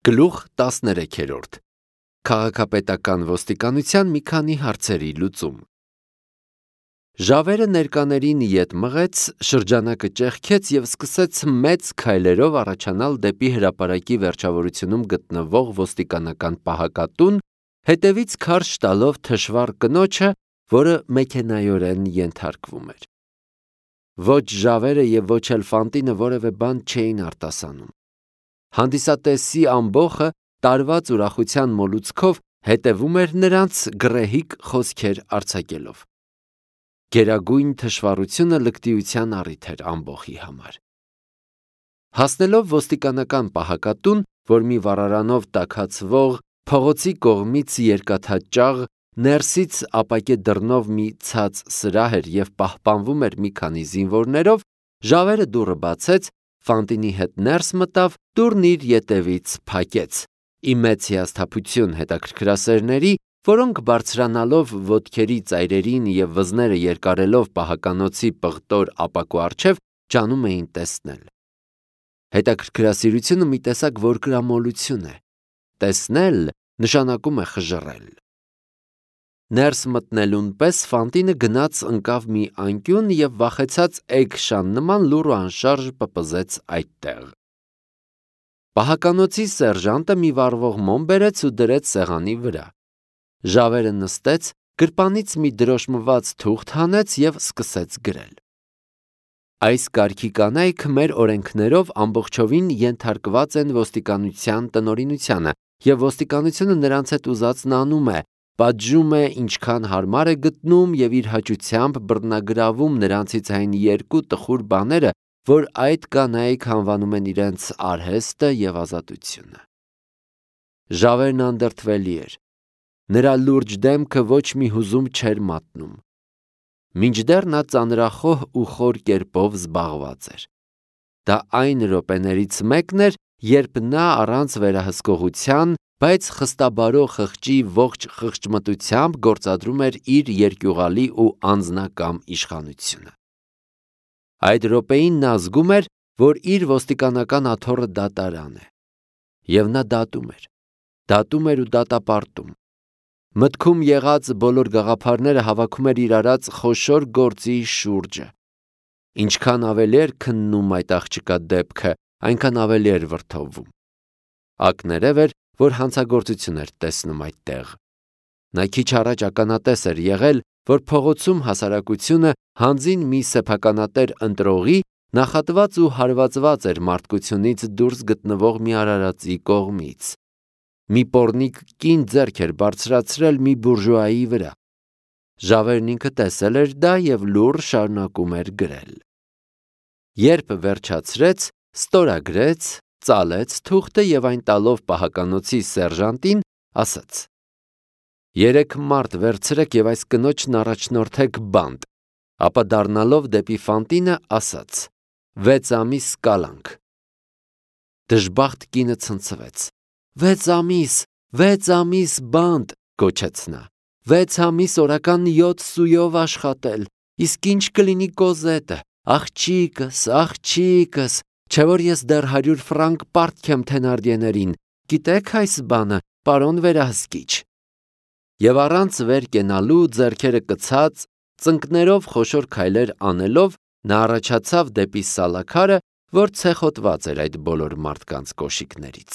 Գլուխ 13 Քաղաքապետական ոստիկանության մի քանի հարցերի լուծում։ Ժավերը ներկաներին ետ մղեց, շրջանակը ճեղքեց և սկսեց մեծ քայլերով առաջանալ դեպի հրապարակի վերջավորությունում գտնվող ոստիկանական պահակատուն, հետևից քարշ տալով թշվառ կնոջը, որը մեքենայորեն ենթարկվում էր։ Ոչ ժավերը և ոչ էլ Ֆանտինը որևէ բան չէին արտասանում։ Հանդիսատեսի ամբոխը տարված ուրախության մոլուցքով հետևում էր նրանց, գռեհիկ խոսքեր արձակելով։ Գերագույն թշվառությունը լկտիության առիթ էր ամբոխի համար։ Հասնելով ոստիկանական պահակատուն, որ մի վառարանով տաքացվող փողոցի կողմից երկաթաճաղ, ներսից ապակե դռնով մի ցած սրահ էր և պահպանվում էր մի քանի զինվորներով, ժավերը դուռը բացեց, Ֆանտինի հետ ներս մտավ, դուռն իր ետևից փակեց։ Ի մեծ հիասթափություն հետաքրքրասերների, որոնք բարձրանալով ոտքերի ծայրերին և վզները երկարելով պահականոցի պղտոր ապակու առջև, ջանում էին տեսնել։ Հետաքրքրասիրությունը մի տեսակ որկրամոլություն է։ Տեսնել նշանակում է խժռել։ Ներս մտնելուն պես Ֆանտինը գնաց ընկավ մի անկյուն և վախեցած էգշան նման լուռ ու անշարժ պպզեց այդտեղ։ Պահականոցի սերժանտը մի վառվող մոմ բերեց ու դրեց սեղանի վրա։ Ժավերը նստեց, գրպանից մի դրոշմված թուղթ հանեց և սկսեց գրել։ Այս կարգի կանայք մեր օրենքներով ամբողջովին ենթարկված են ոստիկանության տնօրինությանը, և ոստիկանությունը նրանց հետ ուզածն անում է, պատժում է, ինչքան հարմար է գտնում և իր հաճությամբ բռնագրավում նրանցից այն երկու տխուր բաները, որ այդ կանայք անվանում են իրենց արհեստը և ազատությունը։ Ժավերն անդրդվելի էր։ Նրա լուրջ դեմքը ոչ մի հուզում չէր մատնում։ Մինչդեռ նա ծանրախոհ ու խոր կերպով զբաղված էր։ Դա այն րոպեներից մեկն էր, երբ նա առանց վերահսկողության, բայց խստաբարո խղճի ողջ խղճմտությամբ գործադրում էր իր երկյուղալի ու անձնակամ իշխանությունը։ Այդ րոպեին նա զգում էր, որ իր ոստիկանական աթոռը դատարան է։ Եվ նա դատում էր ու դատապարտում։ Մտքում եղած բոլոր գաղափարները հավաքում էր իր արած խոշոր գործի շուրջը։ Ինչքան ավելի էր քննում այդ աղջկա դեպքը, այնքան ավելի էր վրդովվում։ Ակներև էր, որ հանցագործություն էր տեսնում այդտեղ։ Նա քիչ առաջ ականատես էր եղել, որ փողոցում հասարակությունը հանձին մի սեփականատեր ընտրողի նախատված ու հարվածված էր մարդկությունից դուրս գտնվող մի արարածի կողմից։ Մի պոռնիկ կին ձեռք էր բարձրացրել մի բուրժուայի վրա։ Ժավերն ինքը տեսել էր դա և լուռ շարունակում էր գրել։ Երբ վերջացրեց, ստորագրեց, ծալեց թուղթը և այն տալով պահականոցի սերժանտին, ասաց. «Երեք մարդ վերցրեք և այս կնոջն առաջնորդեք բանտ», ապա դառնալով դեպի Ֆանտինը, ասաց. 6 ամիս կալանք։ Դժբախտ կինը ցնցվեց։ 6 ամիս բանտ, գոչեց նա։ 6 ամիս օրական 7 սույով աշխատել, իսկ ինչ կլինի Կոզետը, աղջիկս, չէ որ ես դեռ 100 ֆրանկ պարտք եմ Թենարդիեներին, գիտեք այս բանը, պարոն վերահսկիչ։ Եվ առանց վեր կենալու, ձեռքերը կցած, ծնկներով խոշոր քայլեր անելով, նա առաջացավ դեպի սալաքարը, որ ցեխոտված էր այդ բոլոր մարդկանց կոշիկներից։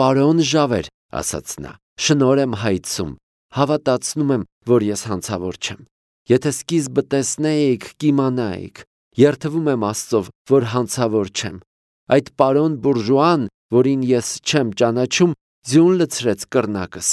«Պարոն Ժավեր», ասաց նա, «շնորհ եմ հայցում, հավատացնում եմ, որ ես հանցավոր չեմ։ Եթե սկիզբը տեսնեիք, կիմանայիք, երդվում եմ Աստծով, որ հանցավոր չեմ։ Այդ պարոն բուրժուան, որին ես չեմ ճանաչում, ձյուն լցրեց կռնակս։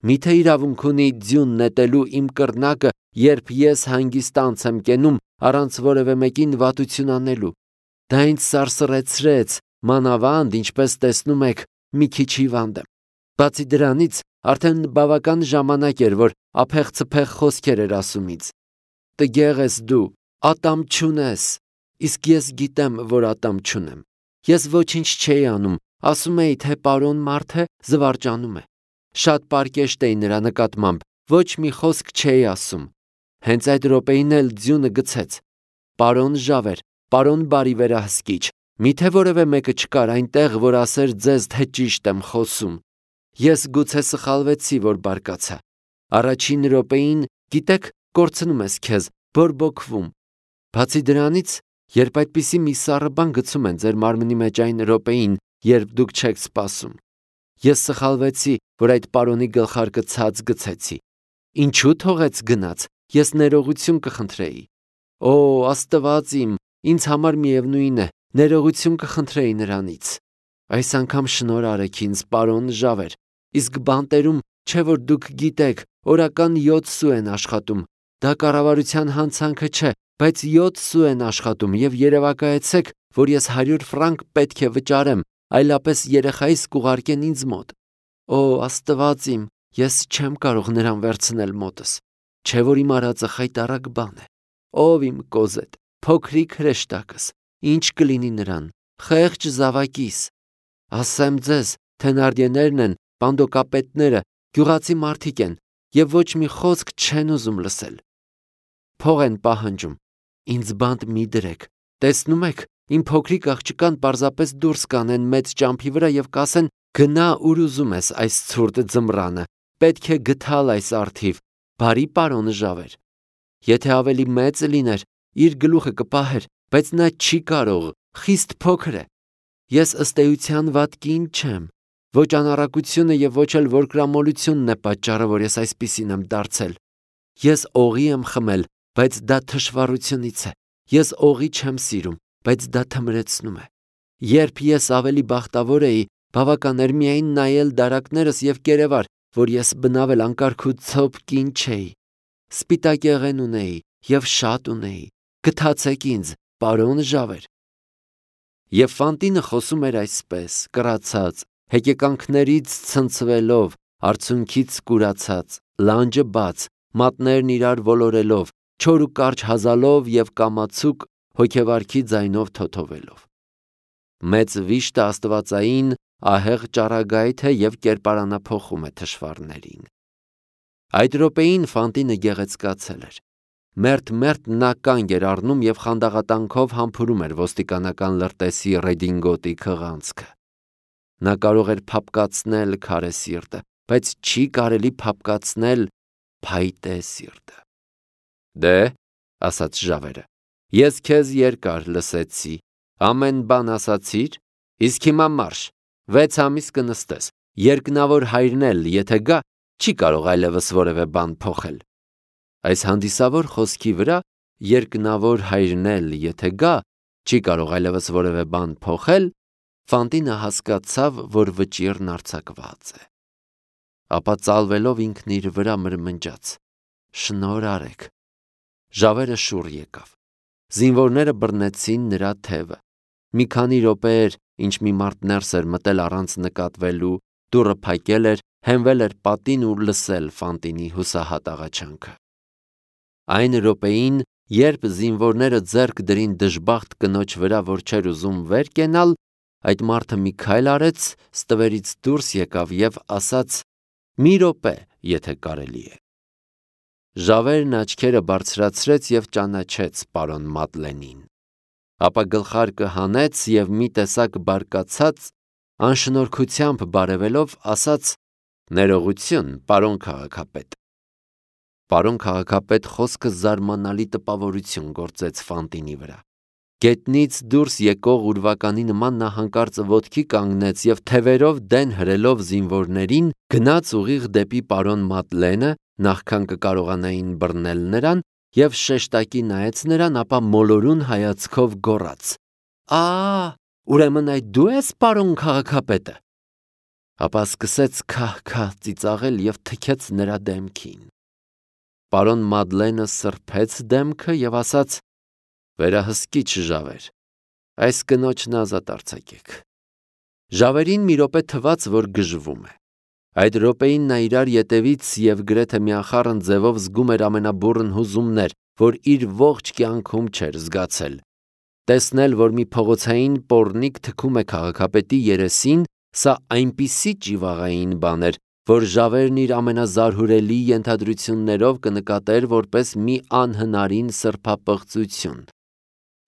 Միթե իրավունք ունի ձյուն նետելու իմ կռնակը, երբ ես հանգիստ անց եմ կենում, առանց որևէ մեկին վատություն անելու։ Դա ինձ սարսռեցրեց, մանավանդ, ինչպես տեսնում եք, մի քիչ հիվանդ եմ։ Բացի դրանից, արդեն բավական ժամանակ էր, որ ափեղ-ցփեղ խոսքեր էր ասում ինձ։ Տգեղ ես դու, ատամ չունես։ Իսկ ես գիտեմ, որ ատամ չունեմ։ Ես ոչինչ չէի անում, ասում էի, թե պարոն մարդ է, զվարճանում է։ Շատ պարկեշտ էի նրա նկատմամբ, ոչ մի խոսք չէի ասում։ Հենց այդ րոպեին էլ ձյունը գցեց։ Պարոն Ժավեր, պարոն բարի վերահսկիչ, Միթե որևէ մեկը չկար այնտեղ, որ ասեր ձեզ, թե ճիշտ եմ խոսում։ Ես գուցե սխալվեցի, որ բարկացա։ Առաջին րոպեին, գիտեք, կորցնում ես քեզ, բորբոքվում։ Բացի դրանից, երբ այդպիսի մի սառը բան գցում են ձեր մարմնի մեջ այն րոպեին, երբ դուք չեք սպասում։ Ես սխալվեցի, որ այդ պարոնի գլխարկը ցած գցեցի։ Ինչու թողեց գնաց, ես ներողություն կխնդրեի։ Օ, Աստված իմ, ինձ համար միևնույն է, ներողություն կխնդրեի նրանից։ Այս անգամ շնորհ արեք ինձ, պարոն Ժավեր, իսկ բանտերում չէ որ դուք գիտեք, օրական 7 սու են աշխատում, դա կառավարության հանցանքը չէ, բայց 7 սու են աշխատում եւ երևակայեցեք, որ ես 100 ֆրանկ պետք է վճարեմ, այլապես երեխայիս կուղարկեն ինձ մոտ։ Օ, Աստված իմ, ես չեմ կարող նրան վերցնել մոտս, չէ որ իմ արածը խայտառակ բան է։ Ով իմ կոզետ, փոքրիկ հրեշտակս, ինչ կլինի նրան, խեղճ զավակիս։ Ասեմ ձեզ, թենարդիեներն են, պանդոկապետները, գյուղացի մարդիկ են եւ ոչ մի խոսք չեն ուզում լսել։ Փող են պահանջում, ինձ բանտ մի դրեք, տեսնում եք, իմ փոքրիկ աղջկան պարզապես դուրս կանեն մեծ ճամփի վրա եւ կասեն գնա ուր ուզում ես այս ցուրտ ձմռանը, պետք է գթալ այս արթիվ, բարի պարոն Ժավեր։ Եթե ավելի մեծ լիներ, իր գլուխը կպահեր, բայց նա չի կարող, խիստ փոքր է։ Ես ըստ էության վատ կին չեմ, ոչ անառակությունը եւ ոչ էլ որկրամոլությունն է պատճառը, որ ես այսպիսին եմ դարձել։ Ես օղի եմ խմել, բայց դա թշվառությունից է։ Ես օղի չեմ սիրում, բայց դա թմրեցնում է։ Երբ ես ավելի բախտավոր էի, բավական էր միայն նայել դարակներս եւ կերևար, որ ես բնավել անկարգ ու ցոփ կին չէի։ Սպիտակ եղեն ունեի եւ շատ ունեի։ Գթացեք ինձ, պարոն Ժավեր։ Եվ Ֆանտինը խոսում էր այսպես, կռացած, հեկեկանքներից ցնցվելով, արցունքից կուրացած, լանջը բաց, մատներն իրար ոլորելով, չոր ու կարճ հազալով եւ կամացուկ հոգեվարքի ձայնով թոթովելով։ Մեծ վիշտը աստվածային ահեղ ճառագայթ է եւ կերպարանափոխում է թշվառներին։ Այդ րոպեին Ֆանտինը գեղեցկացել էր։ Մերթ նա կանգ էր առնում եւ խանդաղատանքով համբուրում էր ոստիկանական լրտեսի ռեդինգոտի քղանցքը։ Նա կարող էր փապկացնել քարե սիրտը, բայց չի կարելի փապկացնել փայտե սիրտը։ Դե, ասաց Ժավերը, ես քեզ երկար լսեցի, ամեն բան ասացիր, իսկ հիմա մարշ, 6 ամիս կնստես, երկնավոր հայրն էլ, եթե գա, չի կարող այլևս որևէ բան փոխել։ Այս հանդիսավոր խոսքի վրա երկնավոր հայրն էլ, եթե գա, չի կարող այլևս որևէ բան փոխել, Ֆանտինը հասկացավ, որ վճիռն արձակված է։ Ապա ծալվելով ինքն իր վրա մրմնջաց. շնորհ արեք։ Ժավերը շուռ եկավ։ Զինվորները բռնեցին նրա թևը։ Մի քանի րոպեեր, ինչ մի մարդ ներս էր մտել առանց նկատվելու, դուռը փակել էր, հենվել էր պատին ու լսել Ֆանտինի հուսահատ աղաչանքը։ Այն րոպեին, երբ զինվորները ձեռք դրին դժբախտ կնոջ վրա, որ չէր ուզում վեր կենալ, այդ մարդը մի քայլ արեց, ստվերից դուրս եկավ եւ ասաց. «Մի րոպե, եթե կարելի է»։ Ժավերն աչքերը բարձրացրեց եւ ճանաչեց պարոն Մադլենին։ Ապա գլխարկը հանեց եւ մի տեսակ բարկացած, անշնորհքությամբ բարևելով, ասաց. «Ներողություն, պարոն քաղաքապետ»։ Պարոն քաղաքապետ խոսքը զարմանալի տպավորություն գործեց Ֆանտինի վրա։ Գետնից դուրս եկող ուրվականի նման նա հանկարծ ոտքի կանգնեց եւ թևերով դեն հրելով զինվորներին գնաց ուղիղ դեպի պարոն Մադլենը, նախքան կկարողանային բռնել նրան, եւ շեշտակի նայեց նրան, ապա մոլորուն հայացքով գոռաց. ուրեմն այդ դու ես պարոն քաղաքապետը։ Ապա սկսեց քահ-քահ ծիծաղել եւ թքեց նրա դեմքին։ Պարոն Մադլենը սրբեց դեմքը եւ ասաց. «Վերահսկիչ Ժավեր, այս կնոջն ազատ արձակեք»։ Ժավերին մի րոպե թվաց, որ գժվում է։ Այդ րոպեին նա իրար ետևից եւ գրեթե միախառն ձևով զգում էր ամենաբուռն հուզումներ, որ իր ողջ կյանքում չէր զգացել։ Տեսնել, որ մի փողոցային պոռնիկ թքում է քաղաքապետի երեսին, սա այնպիսի ճիվաղային բան էր, որ Ժավերն իր ամենազարհուրելի ենթադրություններով կնկատեր որպես մի անհնարին սրբապղծություն։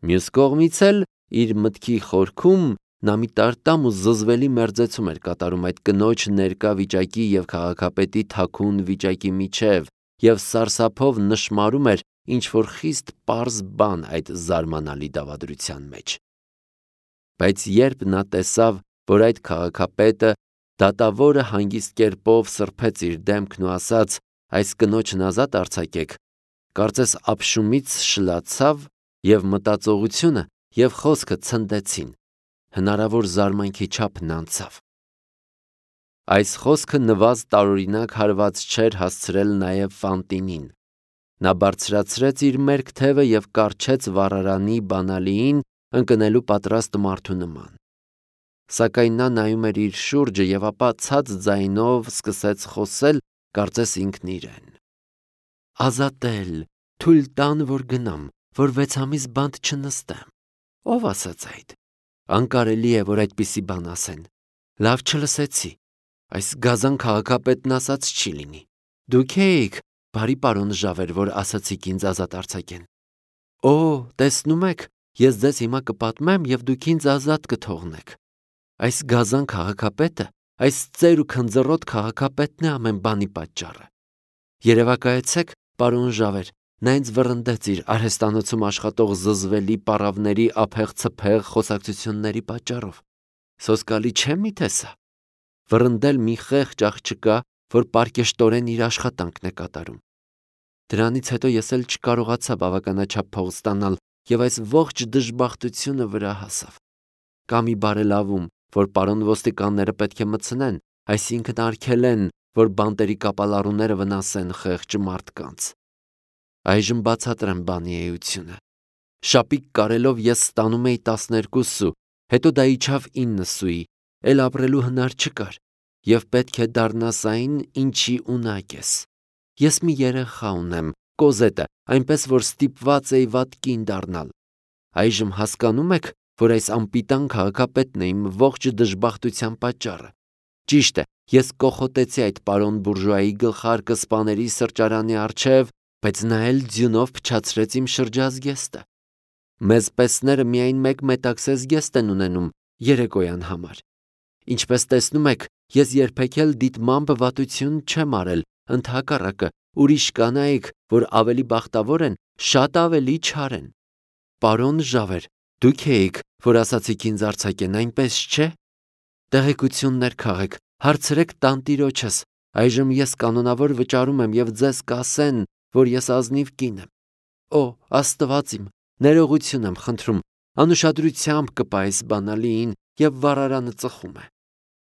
Մյուս կողմից էլ Իր մտքի խորքում նա մի տարտամ ու զզվելի մերձեցում էր կատարում այդ կնոջ ներկա վիճակի և քաղաքապետի թաքուն վիճակի միջև և սարսափով նշմարում էր ինչ-որ խիստ պարզ բան այդ զարմանալի դավադրության մեջ։ Բայց երբ նա տեսավ, որ այդ քաղաքապետը դատավորը հանգիստ կերպով սրբեց իր դեմքն ու ասաց. «Այս կնոջն ազատ արձակեք», կարծես ափշումից շլացավ և մտածողությունը և խոսքը ցնդեցին, հնարավոր զարմանքի չափն անցավ։ Այս խոսքը նվազ տարօրինակ հարված չէր հասցրել նաև Ֆանտինին։ Նա բարձրացրեց իր մերկ թևը և կառչեց վառարանի բանալիին ընկնելու պատրաստ մարդու նման։ Սակայն նա նայում էր իր շուրջը և ապա ցած ձայնով սկսեց խոսել, կարծես ինքն իրեն. «Ազատել, թույլ տան, որ գնամ, որ 6 ամիս բանտ չնստեմ։ Ո՞վ ասաց այդ։ Անկարելի է, որ այդպիսի բան ասեն։ Լավ չլսեցի։ Այս գազան քաղաքապետն ասած չի լինի։ Դուք էիք, բարի պարոն Ժավեր, որ ասացիք ինձ ազատ արձակեն։ Օ, տեսնում եք, ես ձեզ հիմա կպատմեմ և դուք ինձ ազատ կթողնեք։ Այս գազան քաղաքապետը, այս ծեր ու քնձռոտ քաղաքապետն է ամեն բանի պատճառը։ Երևակայեցեք, պարոն Ժավեր, նա ինձ վռնդեց իր արհեստանոցում աշխատող զզվելի պառավների ափեղ-ցփեղ խոսակցությունների պատճառով։ Սոսկալի չէ՞ միթե սա։ Վռնդել մի խեղճ աղջկա, որ պարկեշտորեն իր աշխատանքն է կատարում։ Դրանից հետո ես էլ չկարողացա բավականաչափ փող ստանալ և այս ողջ դժբախտությունը վրա հասավ։ Կա մի բարելավում, որ պարոն ոստիկանները պետք է մտցնեն, այսինքն արգելեն, որ բանտերի կապալառուները վնասեն խեղճ մարդկանց։ Այժմ բացատրեմ բանի էությունը։ Շապիկ կարելով ես ստանում էի 12 սու, հետո դա իջավ 9 սուի, էլ ապրելու հնար չկար, և պետք է դառնաս այն, ինչի ունակ ես։ Ես մի երեխա ունեմ, Կոզետը, այնպես որ ստիպված էի վատ կին դառնալ։ Այժմ հասկանում եք, որ այս անպիտան քաղաքապետն է իմ ողջ դժբախտության պատճառը։ Ճիշտ է, ես կոխոտեցի այդ պարոն բուրժուայի գլխարկը սպաների սրճարանի առջև, բայց նա էլ ձյունով փչացրեց իմ շրջազգեստը։ Մեզ պեսները միայն մեկ մետաքսես զգեստ են ունենում երեկոյան համար։ Ինչպես տեսնում եք, ես երբեք էլ դիտմամբ վատություն չեմ արել, ընդհակառակը, ուրիշ կանայք, որ ավելի բախտավոր են, շատ ավելի չար են։ Պարոն Ժավեր, դուք էիք, որ ասացիք ինձ արձակեն, այնպես չէ։ Տեղեկություններ քաղեք, հարցրեք տանտիրոջս, այժմ ես կանոնավոր վճարում եմ և ձեզ կասեն, որ ես ազնիվ կին եմ։ Օ, Աստված իմ, ներողություն եմ խնդրում, անուշադրությամբ կպա այս բանալիին և վառարանը ծխում է։